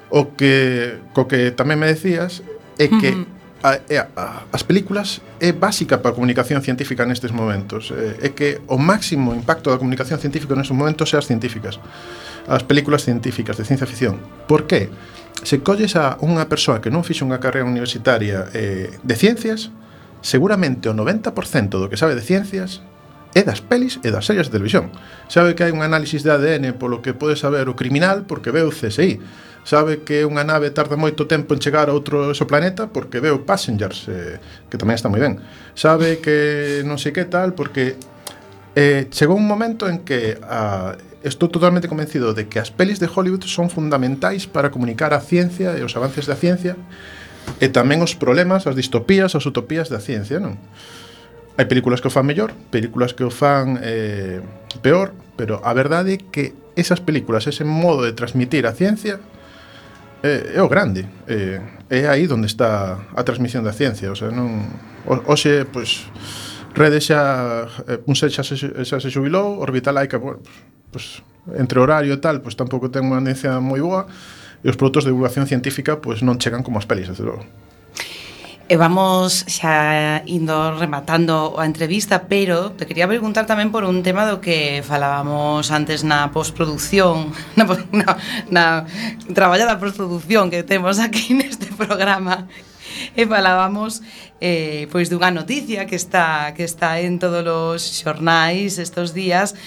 o que co que tamén me decías é que uh-huh. A, a, as películas é básica para a comunicación científica nestes momentos, é que o máximo impacto da comunicación científica nestes momentos é as científicas, as películas científicas de ciencia ficción. Por que? Se colles a unha persoa que non fixe unha carreira universitaria eh, de ciencias, seguramente o noventa por cento do que sabe de ciencias é das pelis e das series de televisión. Sabe que hai un análisis de A D N polo que pode saber o criminal porque ve o C S I. Sabe que unha nave tarda moito tempo en chegar a outro exoplaneta porque veo Passengers, eh, que tamén está moi ben. Sabe que non sei que tal porque eh, chegou un momento en que ah, estou totalmente convencido de que as pelis de Hollywood son fundamentais para comunicar a ciencia e os avances da ciencia e tamén os problemas, as distopías, as utopías da ciencia, non? Hai películas que o fan mellor, películas que o fan eh, peor, pero a verdade é que esas películas, ese modo de transmitir a ciencia É, é o grande, é, é aí onde está a transmisión da ciencia, o sea, non hoxe, pois, Rede xa un set xa se, xa se xubilou, Orbital Laika, bueno, pois, entre horario e tal, pois tampouco ten unha audiencia moi boa e os produtos de divulgación científica pois non chegan como as pelis, desde logo. E vamos xa indo rematando a entrevista, pero te quería preguntar tamén por un tema do que falábamos antes na postproducción, na, na, na traballada postproducción que temos aquí neste programa, e falábamos eh, pois dunha noticia que está que está en todos os xornais estos días,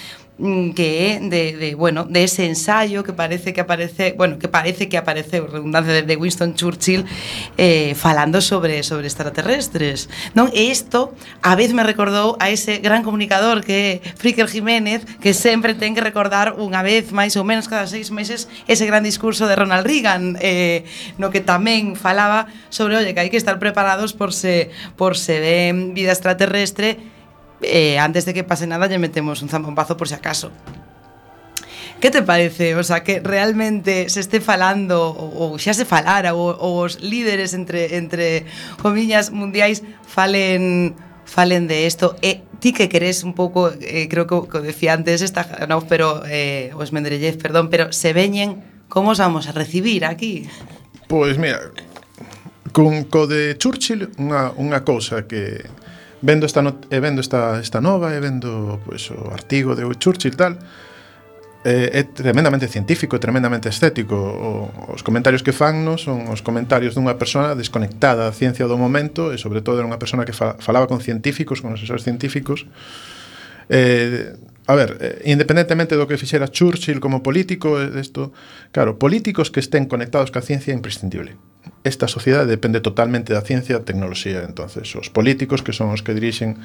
que é de, de, bueno, de ese ensayo que parece que aparece, bueno, que parece que apareceu, redundancia de Winston Churchill eh, falando sobre sobre extraterrestres, non? E isto a vez me recordou a ese gran comunicador que é Fricker Jiménez, que sempre ten que recordar unha vez máis ou menos cada seis meses ese gran discurso de Ronald Reagan, eh, no que tamén falaba sobre, oye, que hai que estar preparados por se por se ven vida extraterrestre. Eh, antes de que pase nada lle metemos un zampompazo por si acaso. Que te parece? O sea, que realmente se este falando ou, ou xa se falara ou, ou os líderes entre entre comillas mundiais falen falen de isto e ti que queres un pouco, eh, creo que o decía antes esta, no, pero eh, os Mendeleev, perdón, pero se veñen, como os vamos a recibir aquí? Pois mira, con co de Churchill unha unha cousa que vendo esta not- e vendo esta esta nova e vendo pois o artigo de Churchill tal, eh, é tremendamente científico, tremendamente estético. O, os comentarios que fan no son os comentarios dunha persona desconectada da ciencia do momento e sobre todo era unha persona que fa- falaba con científicos, con asesores científicos. Eh, a ver, eh, independentemente do que fixera Churchill como político, isto, claro, políticos que estén conectados ca ciencia é imprescindible. esta sociedade depende totalmente da ciencia e da tecnoloxía. Entonces, os políticos, que son os que dirixen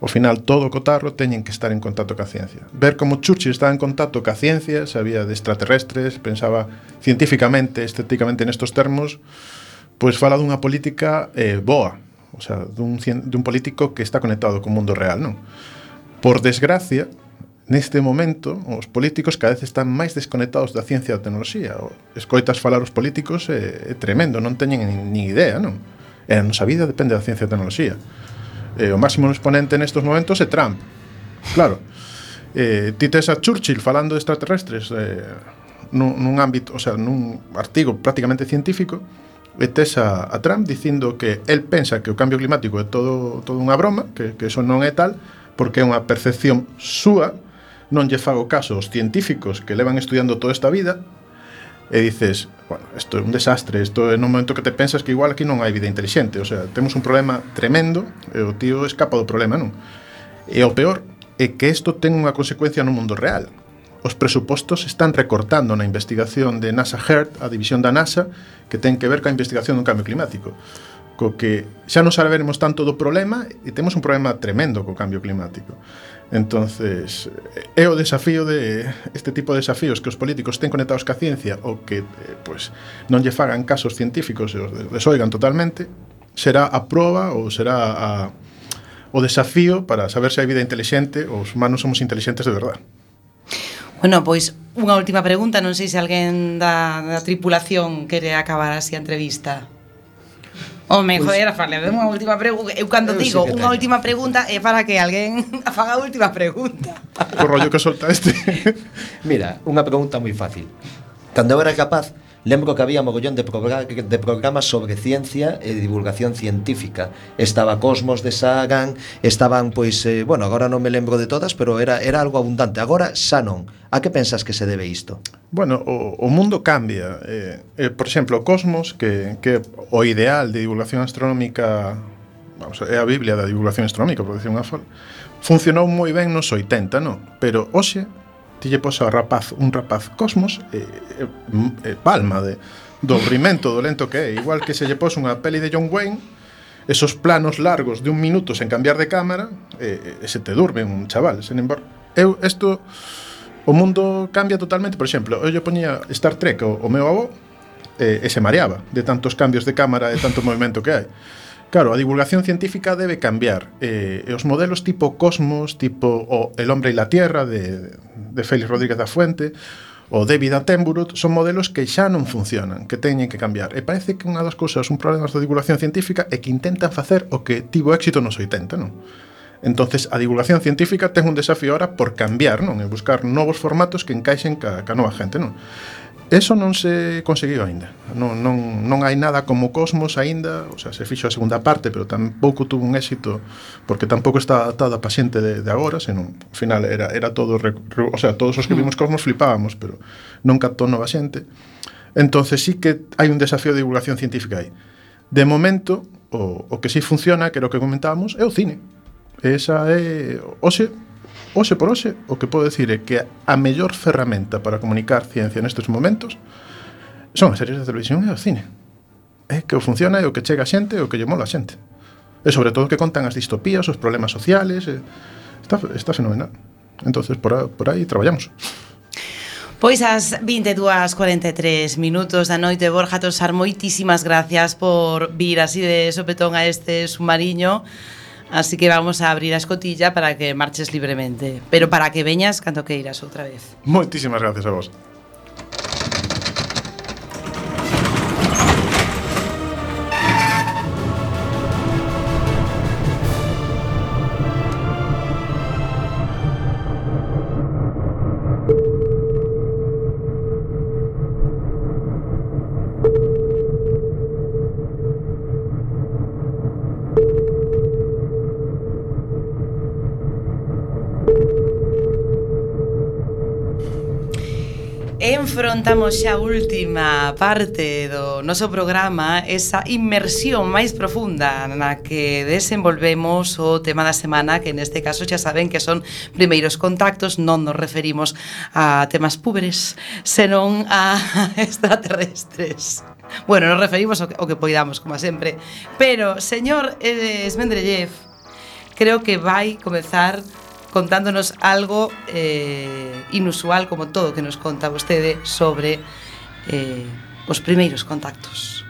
ao final todo o cotarro, teñen que estar en contacto ca ciencia. Ver como Churchill estaba en contacto ca ciencia, sabía de extraterrestres, pensaba científicamente, estéticamente nestos termos, pois fala dunha política eh, boa, o sea, dun, dun político que está conectado co mundo real, non? Por desgracia, neste momento, os políticos cada vez están máis desconectados da ciencia e da tecnoloxía. Escoitas falar os políticos é, é tremendo, non teñen ni, ni idea, non? E a nosa vida depende da ciencia e da tecnoloxía. E o máximo exponente nestes momentos é Trump. Claro, eh, ti tes a Churchill falando de extraterrestres eh, nun, nun ámbito, o sea, nun artigo prácticamente científico, e tes a, a Trump dicindo que el pensa que o cambio climático é todo, todo unha broma, que, que eso non é tal, porque é unha percepción súa, non lle fago caso aos científicos que levan estudiando toda esta vida, e dices, bueno, isto é un desastre, isto é no momento que te pensas que igual aquí non hai vida inteligente, o sea, temos un problema tremendo, e o tío escapa do problema, non? E o peor é que isto ten unha consecuencia no mundo real. Os presupostos están recortando na investigación de NASA HEART, a división da NASA, que ten que ver coa investigación do cambio climático. Co que xa non saberemos tanto do problema e temos un problema tremendo co cambio climático. Entonces, é o desafío de este tipo de desafíos que os políticos estén conectados ca ciencia ou que eh, pues, non lle fagan casos científicos e os desoigan totalmente, será a proba ou será a, o desafío para saber se hai vida inteligente ou os humanos somos inteligentes de verdade. Bueno, pois unha última pregunta, non sei se alguén da, da tripulación quere acabar así a entrevista. Home, pues, joder, fale, unha última pregunta. Eu cando eu digo unha última pregunta é para que alguén faga a última pregunta. O rollo que solta este. Mira, unha pregunta moi fácil. Cando eu era capaz, lembro que había mogollón de, progr de programas sobre ciencia e divulgación científica. Estaba Cosmos de Sagan, estaban, pois, eh, bueno, agora non me lembro de todas, pero era, era algo abundante. Agora xa non. A que pensas que se debe isto? Bueno, o, o mundo cambia. Eh, eh, por exemplo, Cosmos, que, que o ideal de divulgación astronómica, vamos, é a Biblia da divulgación astronómica, por decir unha forma, funcionou moi ben nos oitenta, non? Pero hoxe ti lle pos a rapaz, un rapaz Cosmos e, e, e palma de, do aburrimento, do lento que é. Igual que se lle pos unha peli de John Wayne, esos planos largos de un minuto sen cambiar de cámara, e, e se te durme un chaval. Sen embargo, eu, isto, o mundo cambia totalmente. Por exemplo, eu lle poñía Star Trek o, o meu avó e, e se mareaba de tantos cambios de cámara e tanto movimento que hai. Claro, a divulgación científica debe cambiar. Eh, e os modelos tipo Cosmos, tipo o El hombre y la tierra de, de Félix Rodríguez da Fuente, o David Attenborough, son modelos que xa non funcionan, que teñen que cambiar. E parece que unha das cousas, un problema da divulgación científica é que intentan facer o que tivo éxito nos oitenta, non? Entonces, a divulgación científica ten un desafío ahora por cambiar, non? E buscar novos formatos que encaixen ca, ca nova gente, non? Eso non se conseguiu aínda. Non, non, non hai nada como Cosmos aínda, o sea, se fixo a segunda parte, pero tampouco tuvo un éxito porque tampouco está adaptada a paciente de, de agora, senón, ao final era, era todo, re, re, o sea, todos os que vimos Cosmos flipábamos, pero non captou nova xente. Entonces sí que hai un desafío de divulgación científica aí. De momento, o, o que sí funciona, que era o que comentábamos, é o cine. Esa é, hoxe, Oxe por hoxe, o que podo decir é que a mellor ferramenta para comunicar ciencia nestes momentos son as series de televisión e o cine. É que o funciona e o que chega a xente e o que lle mola a xente. E sobre todo que contan as distopías, os problemas sociales, e está, está fenomenal. Entonces por, a, por aí traballamos. Pois as vinte e dúas e cuarenta e tres minutos da noite, Borja Tosar, moitísimas gracias por vir así de sopetón a este submarino. Así que vamos a abrir a escotilla para que marches libremente, pero para que veñas cando queiras outra vez. Moitísimas gracias a vos. Enfrontamos xa a última parte do noso programa, esa inmersión máis profunda na que desenvolvemos o tema da semana, que neste caso xa saben que son primeiros contactos, non nos referimos a temas púberes, senón a extraterrestres. Bueno, nos referimos ao que, ao que poidamos, como sempre. Pero, señor eh, Esmendrellev, creo que vai comezar contándonos algo eh, inusual, como todo que nos conta vostede, sobre eh, os primeiros contactos.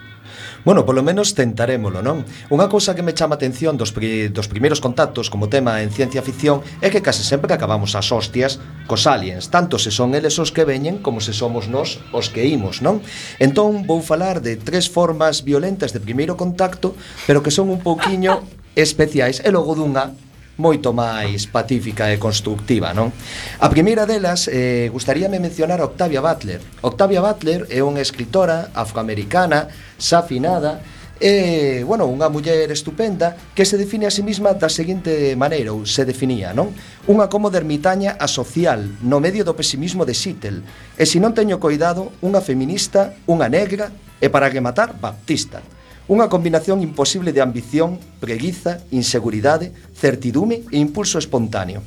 Bueno, polo menos tentarémolo, non? Unha cousa que me chama a atención dos, pri dos primeiros contactos como tema en ciencia ficción é que case sempre acabamos as hostias cos aliens, tanto se son eles os que veñen como se somos nós os que imos, non? Entón vou falar de tres formas violentas de primeiro contacto, pero que son un pouquiño especiais, e logo dunha moito máis pacífica e constructiva, non? A primeira delas, eh, gustaríame mencionar a Octavia Butler. Octavia Butler é unha escritora afroamericana, safinada, e, bueno, unha muller estupenda que se define a sí mesma da seguinte maneira, ou se definía, non? Unha cómoda ermitaña asocial no medio do pesimismo de Seattle, e se non teño coidado, unha feminista, unha negra, e para rematar, baptista. Unha combinación imposible de ambición, preguiza, inseguridade, certidume e impulso espontáneo.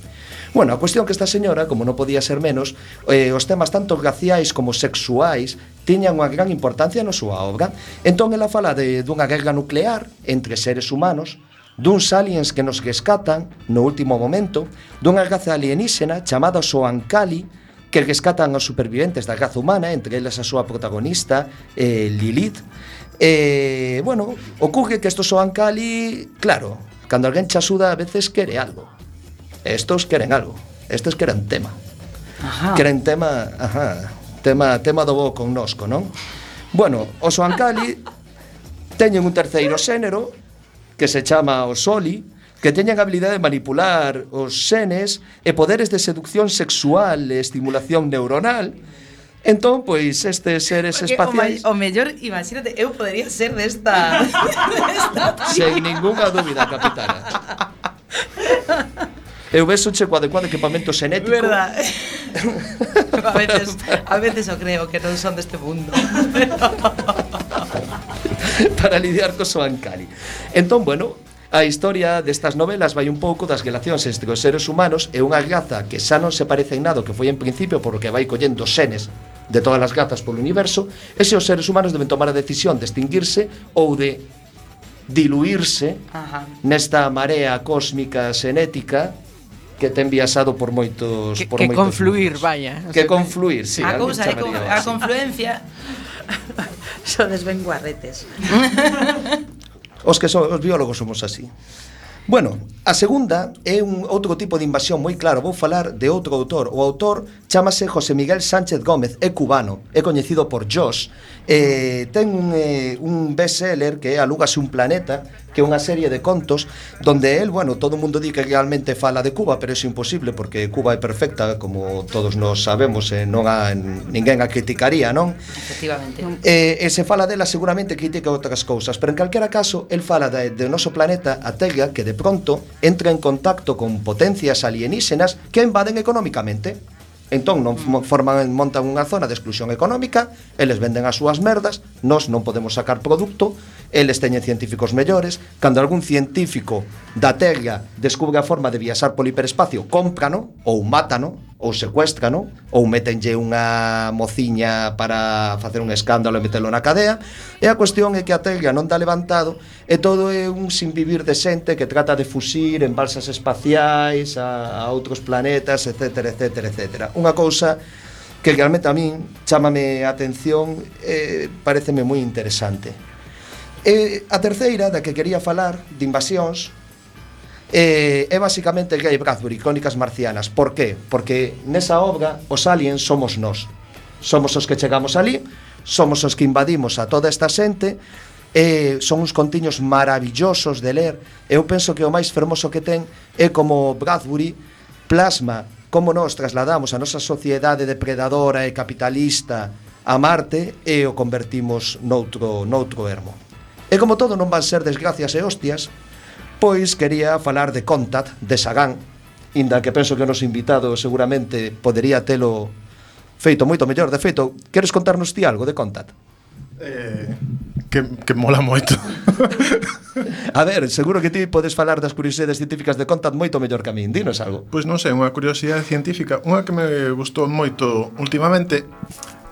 Bueno, a cuestión que esta señora, como non podía ser menos, eh, os temas tanto raciais como sexuais tiñan unha gran importancia na súa obra. Entón ela fala de, dunha guerra nuclear entre seres humanos, duns aliens que nos rescatan no último momento, dunha raza alienígena chamada Soankali, que rescatan aos superviventes da raza humana, entre elas a súa protagonista, eh, Lilith. E, bueno, ocurre que estos Soankali, claro, cando alguén che axuda a veces quere algo. Estos queren algo, estes queren tema. Ajá. Queren tema, ajá, tema, tema do bo connosco, non? Bueno, os Soankali teñen un terceiro xénero que se chama o Soli, que teñen a habilidade de manipular os xenes e poderes de seducción sexual e estimulación neuronal. Entón, pois, estes seres porque espaciais... O, o mellor, imagínate, eu podería ser desta... desta Sen ninguna dúbida, capitana. Eu vexo che coa adecuado equipamento xenético. Verdad. a veces, a veces eu creo que non son deste mundo. Para lidiar co Soankali. Entón, bueno, a historia destas novelas vai un pouco das relacións entre os seres humanos e unha raza que xa non se parece en nada que foi en principio porque vai collendo xenes de todas as razas polo universo, e se os seres humanos deben tomar a decisión de extinguirse ou de diluirse Ajá. nesta marea cósmica xenética que ten viaxado por moitos que, por que moitos confluir, mundos. vaya. Que confluir, sí. A cousa é con, a confluencia. Sodes ben guarretes. Os que son, os biólogos somos así. Bueno, a segunda é un outro tipo de invasión moi claro. Vou falar de outro autor. O autor chámase José Miguel Sánchez Gómez, é cubano, é coñecido por Josh. Eh, ten un, eh, un bestseller que é Alúgase un planeta, que é unha serie de contos donde el, bueno, todo o mundo di que realmente fala de Cuba, pero é imposible porque Cuba é perfecta, como todos nos sabemos, e non a, ninguén a criticaría, non? Efectivamente. E, e se fala dela seguramente critica outras cousas, pero en calquera caso el fala de, de noso planeta, a Terra, que de pronto entra en contacto con potencias alienígenas que invaden económicamente. Entón non forman, montan unha zona de exclusión económica, eles venden as súas merdas, nós non podemos sacar produto, eles teñen científicos mellores, cando algún científico da Terra descubre a forma de viaxar polo hiperespacio, cómprano, ou mátano, ou secuéstrano, ou métenlle unha mociña para facer un escándalo e metelo na cadea, e a cuestión é que a Terra non dá levantado, e todo é un sinvivir de xente que trata de fuxir en balsas espaciais a, a outros planetas, etcétera, etcétera, etcétera. Unha cousa que realmente a min chámame a atención, eh, pareceme moi interesante. E a terceira, da que quería falar, de invasións, eh, é basicamente Ray Bradbury, Crónicas Marcianas. Por qué? Porque nesa obra os aliens somos nós. Somos os que chegamos ali, somos os que invadimos a toda esta xente, e son uns contiños maravillosos de ler. Eu penso que o máis fermoso que ten é como Bradbury plasma como nós trasladamos a nosa sociedade depredadora e capitalista a Marte e o convertimos noutro, noutro ermo. E como todo non van ser desgracias e hostias, pois quería falar de Contact, de Sagan, inda que penso que o noso invitado seguramente podería telo feito moito mellor. De feito, queres contarnos ti algo de Contact? Eh, que, que mola moito. A ver, seguro que ti podes falar das curiosidades científicas de Contact moito mellor que a min. Dinos algo. Pois non sei, unha curiosidade científica. Unha que me gustou moito últimamente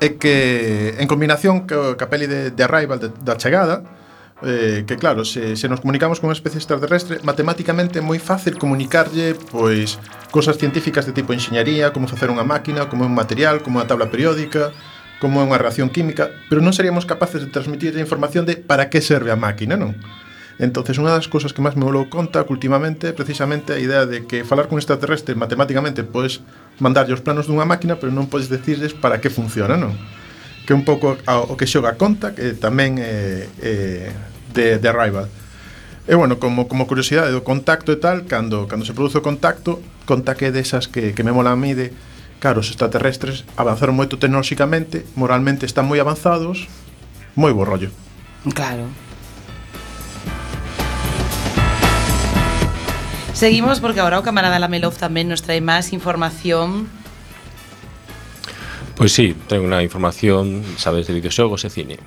é que, en combinación co, ca peli de, de Arrival, de, da chegada, eh, que claro, se, se nos comunicamos con unha especie extraterrestre, matemáticamente é moi fácil comunicarlle pois cosas científicas de tipo enxeñaría, como facer unha máquina, como un material, como unha tabla periódica, como é unha reacción química, pero non seríamos capaces de transmitir a información de para que serve a máquina, non? Entonces, unha das cousas que máis me volou conta últimamente é precisamente a idea de que falar con extraterrestre matemáticamente podes mandarlle os planos dunha máquina, pero non podes decirles para que funciona, non? Que é un pouco o que xoga conta, que tamén é, é de, de Arrival. E bueno, como, como curiosidade do contacto e tal, cando, cando se produce o contacto, conta que é desas que, que me mola a mí de, claro, os extraterrestres avanzaron moito tecnolóxicamente, moralmente están moi avanzados, moi bo rollo. Claro. Seguimos porque ahora o camarada Lamelov tamén nos trae máis información. Pois sí, tengo unha información, sabes, de videoxogos e cine.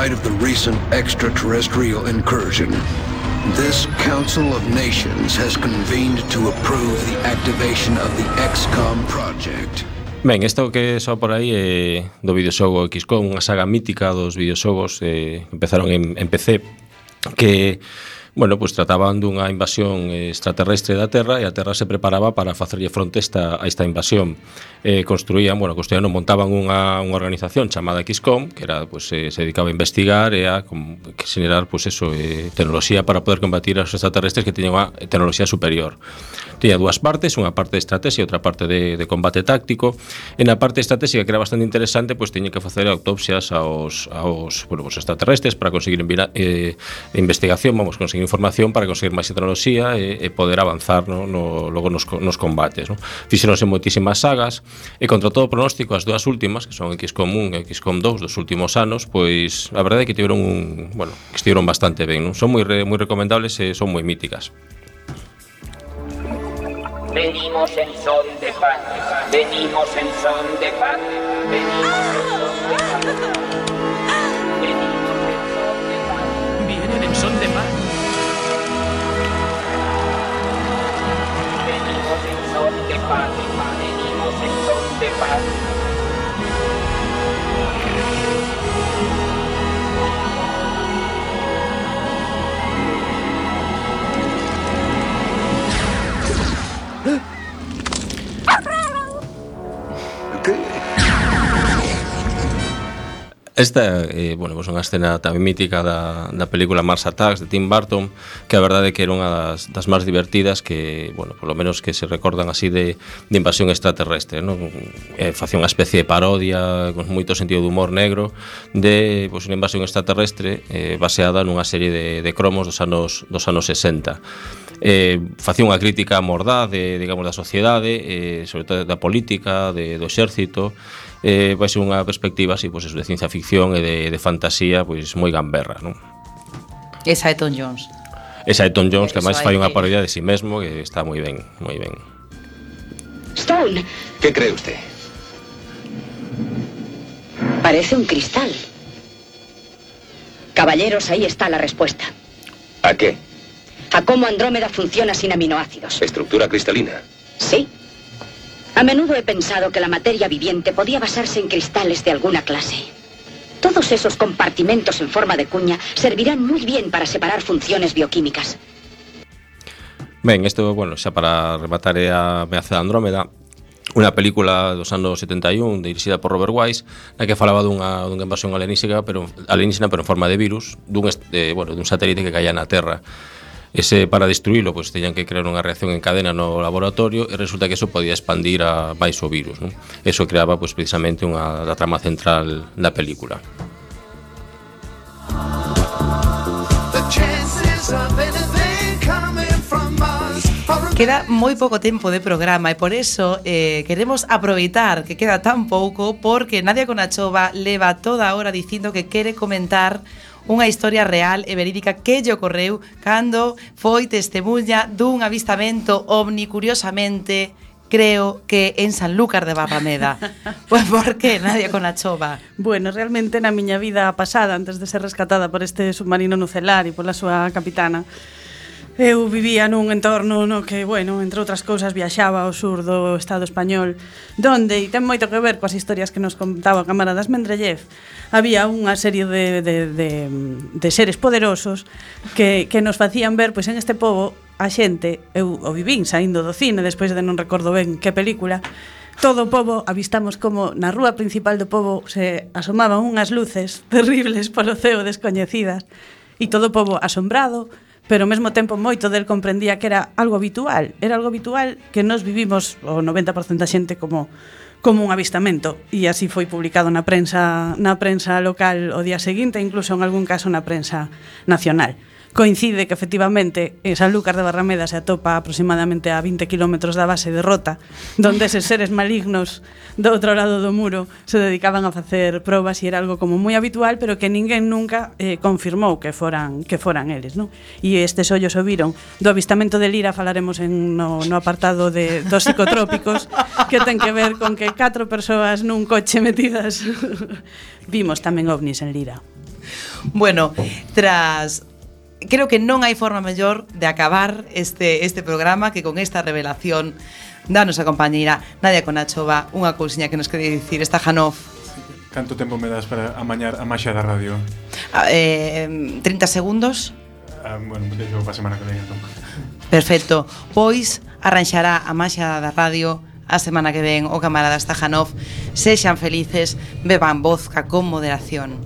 Of the recent extraterrestrial incursion, this Council of Nations has convened to approve the activation of the X COM project. Ben, isto que só por aí é do videoxogo X COM, unha saga mítica dos videoxogos eh, que empezaron en, en P C, que bueno, pues trataban dunha invasión extraterrestre da Terra e a Terra se preparaba para facerlle fronte esta, a esta invasión. Eh, construían, bueno, construían, montaban unha, unha organización chamada X COM, que era, pues, eh, se dedicaba a investigar e a com, que generar, pues eso, eh, tecnoloxía para poder combatir aos extraterrestres que teñen unha tecnoloxía superior. Tiña dúas partes, unha parte de estrategia e outra parte de, de combate táctico. En a parte estratégica, que era bastante interesante, pues teñen que facer autopsias aos, aos, bueno, pues, extraterrestres para conseguir enviar, eh, investigación, vamos, conseguir información para conseguir máis tecnoloxía e, e poder avanzar, no, no, logo nos, nos combates, no? Fixeronse moitísimas sagas e contra todo pronóstico as dúas últimas, que son X COM uno e X COM dos dos últimos anos, pois a verdade é que tiveron un, bueno, que estiveron bastante ben, non? Son moi re, moi recomendables e son moi míticas. Venimos en son de paz, venimos en son de paz, venimos en son de paz. Vienen en son de paz. Venimos en son de paz, venimos en son de paz. Esta, eh, bueno, pues unha escena tamén mítica da, da película Mars Attacks de Tim Burton, que a verdade é que era unha das, das máis divertidas que, bueno, por lo menos que se recordan así de, de invasión extraterrestre, non? Eh, facía unha especie de parodia con moito sentido de humor negro de, pues, unha invasión extraterrestre eh, baseada nunha serie de, de cromos dos anos, dos anos sesenta. Eh, facía unha crítica mordaz de, digamos, da sociedade, eh, sobre todo da política, de, do exército. Eh, vai ser unha perspectiva así, pues, de ciencia ficción e de, de fantasía, pois moi gamberra, non? Esa é Tom Jones. Esa é Tom Jones, que máis fai unha parodia de si mesmo, que está moi ben, moi ben. Stone. ¿Qué cree usted? Parece un cristal. Caballeros, ahí está la respuesta. ¿A qué? A cómo Andrómeda funciona sin aminoácidos. ¿Estructura cristalina? Sí. A menudo he pensado que la materia viviente podía basarse en cristales de alguna clase. Todos esos compartimentos en forma de cuña servirán muy bien para separar funciones bioquímicas. Ben, isto, bueno, xa para rematar é a Ameaza de Andrómeda, unha película dos anos setenta e un dirixida por Robert Wise, na que falaba dunha, dunha invasión alienígena, pero alienígena pero en forma de virus, dun, eh, bueno, dun satélite que caía na Terra. Ese, para destruílo, pues teñan que crear unha reacción en cadena no laboratorio e resulta que eso podía expandir a máis o virus, non? Eso creaba, pues, precisamente unha da trama central da película. The chance Queda moi pouco tempo de programa e por eso eh, queremos aproveitar que queda tan pouco porque Nadia Conachova leva toda a hora dicindo que quere comentar unha historia real e verídica que lle ocorreu cando foi testemunha dun avistamento ovni, curiosamente, creo que en Sanlúcar de Barrameda. Pois por que, Nadia Conachova? Bueno, realmente na miña vida pasada, antes de ser rescatada por este submarino nucelar e pola súa capitana, eu vivía nun entorno no que, bueno, entre outras cousas, viaxaba ao sur do Estado español, donde, e ten moito que ver coas historias que nos contaba o camarada Mendeleev, había unha serie de, de, de, de seres poderosos que, que nos facían ver, pois en este pobo, a xente, eu o vivín saindo do cine, despois de non recordo ben que película, todo o pobo avistamos como na rúa principal do pobo se asomaban unhas luces terribles polo ceo descoñecidas, e todo o pobo asombrado, pero ao mesmo tempo moito del comprendía que era algo habitual, era algo habitual que nos vivimos o noventa por cento da xente como como un avistamento, e así foi publicado na prensa na prensa local o día seguinte, incluso en algún caso na prensa nacional. Coincide que efectivamente en Sanlúcar de Barrameda se atopa aproximadamente a vinte kilómetros da base de Rota, donde eses seres malignos do outro lado do muro se dedicaban a facer probas e era algo como moi habitual, pero que ninguén nunca eh, confirmou que foran que foran eles, non? E estes ollos o viron. Do avistamento de Lira falaremos en no, no apartado de dos psicotrópicos, que ten que ver con que catro persoas nun coche metidas vimos tamén ovnis en Lira. Bueno, tras creo que non hai forma mellor de acabar este, este programa que con esta revelación da nosa compañeira Nadia Conachova, unha cousiña que nos quere dicir esta Janov. Canto tempo me das para amañar a maxia da radio? Ah, eh, trinta segundos. Ah, bueno, deixo para a semana que ven, entón. Perfecto, pois arranxará a maxia da radio a semana que ven o camarada Stajanov. Sexan felices, beban vodka con moderación.